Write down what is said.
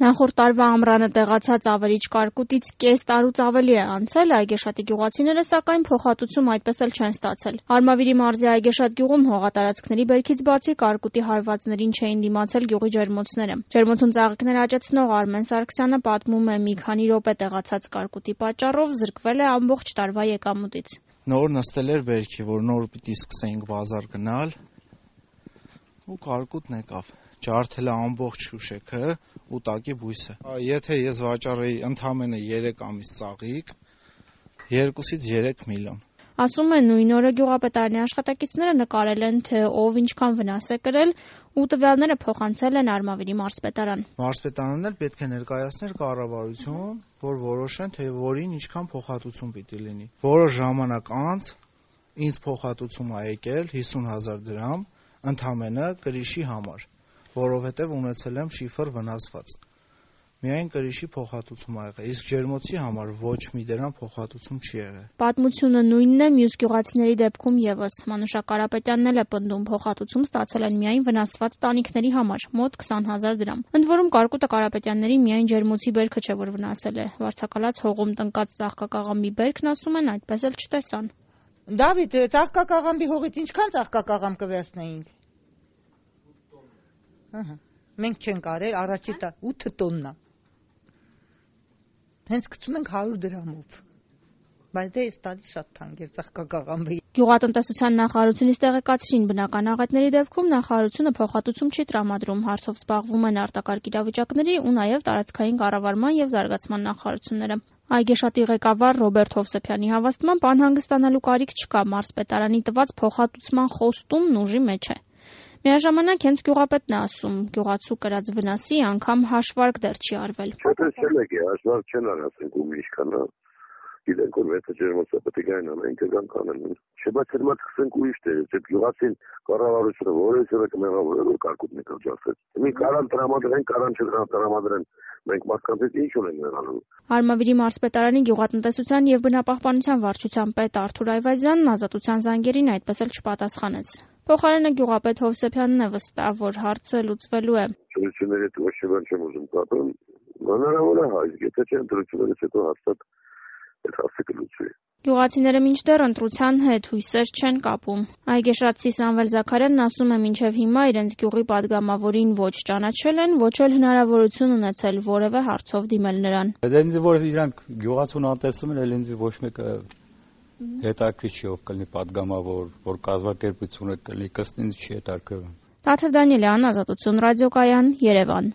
Նախորդ տարվա ամռանը տեղացած ավերիչ կարկուտից կես տարուց ավելի է անցել, Այգեշատի գյուղացիները սակայն փոխհատուցում այդպես էլ չեն ստացել։ Արմավիրի մարզի Այգեշատ գյուղում հողատարածքների բերքից բացի կարկուտի հարվածներին չէին դիմացել գյուղի ջերմոցները։ Ջերմոցում ծաղիկներ աճեցնող Արմեն Սարգսյանը պատմում է, մի քանի րոպե տեղացած կարկուտի պատճառով զրկվել է ամբողջ տարվա եկամուտից։ Նոր նստել էր բերքի, որ նոր պիտի սկսեինք բազար գնալ ու կարկուտն եկավ։ Ջարդել է ամբողջ շուշեքը ու տակի բույսը։ Եթե ես վաճառեի ընդամենը 3 ամիս ծաղիկ, 2-ից 3 միլիոն։ Ասում է, նույն օրը գյուղապետարանի աշխատակիցները նկարել են, թե ով ինչքան վնաս է կրել ու տվյալները փոխանցել են Արմավիրի մարզպետարան։ Մարզպետարանն էլ պետք է ներկայացներ կառավարություն, որ որոշեն, թե որին ինչքան փոխհատուցում պիտի լինի։ Որոշ ժամանակ անց ինձ փոխհատուցում ա եկել 50,000 դրամ ընդամենը կրիշի համար, որովհետև ունեցել եմ շիֆր վնասված։ Միայն կրիշի փոխհատուցում ա եղել, իսկ ջերմոցի համար ոչ մի դրամ փոխհատուցում չի եղել։ Պատմությունը նույնն է մյուս գյուղացիների դեպքում եւս։ Մանուշակ Կարապետյանն էլ է պնդում, փոխհատուցում ստացել են միայն վնասված տանիքների համար, մոտ 20,000 դրամ։ Ընդ որում կարկուտը Կարապետյանների միայն ջերմոցի բերքը չէ, որ վնասել է։ Վարձակալած հողում տնկած ծաղկակաղամբի բերքն, ասում են, այդպես էլ չտեսան։ Դավիթ, ծաղկակաղամբի հողից ինչքան ծաղկակաղամբ կվերցնեինք։ Մենք չենք արել, առաջի 8 տոննա։ Հենց գցում ենք 100 դրամով։ Բայց դե այս տարի շատ թանկ էր ծաղկակաղամբը։ Գյուղատնտեսության նախարարությունից տեղեկացրին, բնական աղետների դեպքում նախարարությունը փոխհատուցում չի տրամադրում, հարցով զբաղվում են արտակարգ իրավիճակների ու նաև տարածքային կառավարման եւ զարգացման նախարարությունները։ Այգեշատի ղեկավար Ռոբերտ Հովսեփյանի հավաստմամբ անհանգստանալու կարիք չկա, մարզպետարանի տված փոխհատուցման խոստումն ուժի մեջ է։ Միաժամանակ հենց գյուղապետն է ասում, գյուղացու կրած վնասի անգամ հաշվարկ դեռ չի արվել։ Հաշվարկ չեն արածենք ու ինչքան է։ Գիտենք, որ եթե ջերմոցը պետք է գային ամեն ինչ կանեն։ Բայց հիմա սկսենք ուրիշ դեր, եթե գյուղացին կառավարությունը որևէ կմեղավորել որ կարկուտն կջարդեց։ Մի կարան տրամադրեն, կարան չտրամադրեն, մենք մարդկանց ինչ ունենք մեղանում։ Արմավիրի մարզպետարանի գյուղատնտեսության եւ բնապահպանության վարչության պետ Արթուր Այվազյանն ազատության զանգերին այդպես էլ չպատասխանեց։ Փոխարենը գյուղապետ Հովսեփյանն է վստահ, որ հարցը լուծվելու է։ Ծրությունների հետ ոչ մի բան չեմ ուզում պատմել։ Հնարավոր է հայ, եթե չեն ծրություններից հետո հաստատ այդ հարցը կլուծվի։ Գյուղացիները մինչդեռ ընտրության հետ հույսեր չեն կապում։ Այգեշատցի Սամվել Զաքարյանն ասում է, մինչև հիմա իրենց գյուղի падգամավորին ոչ ճանաչել են, ոչ էլ հնարավորություն ունեցել որևէ հարցով դիմել նրան։ Ինձ որ իրանք գյուղացուն անտեսում են, ինձ ոչ մեկը հետաքրքիր չի ով կլինի падգամավոր, որ կազմակերպությունը կլինի, կստինձ չի հետաքրքրում։ Տաթև Դանիելյան, Ազատություն ռադիոկայան, Երևան։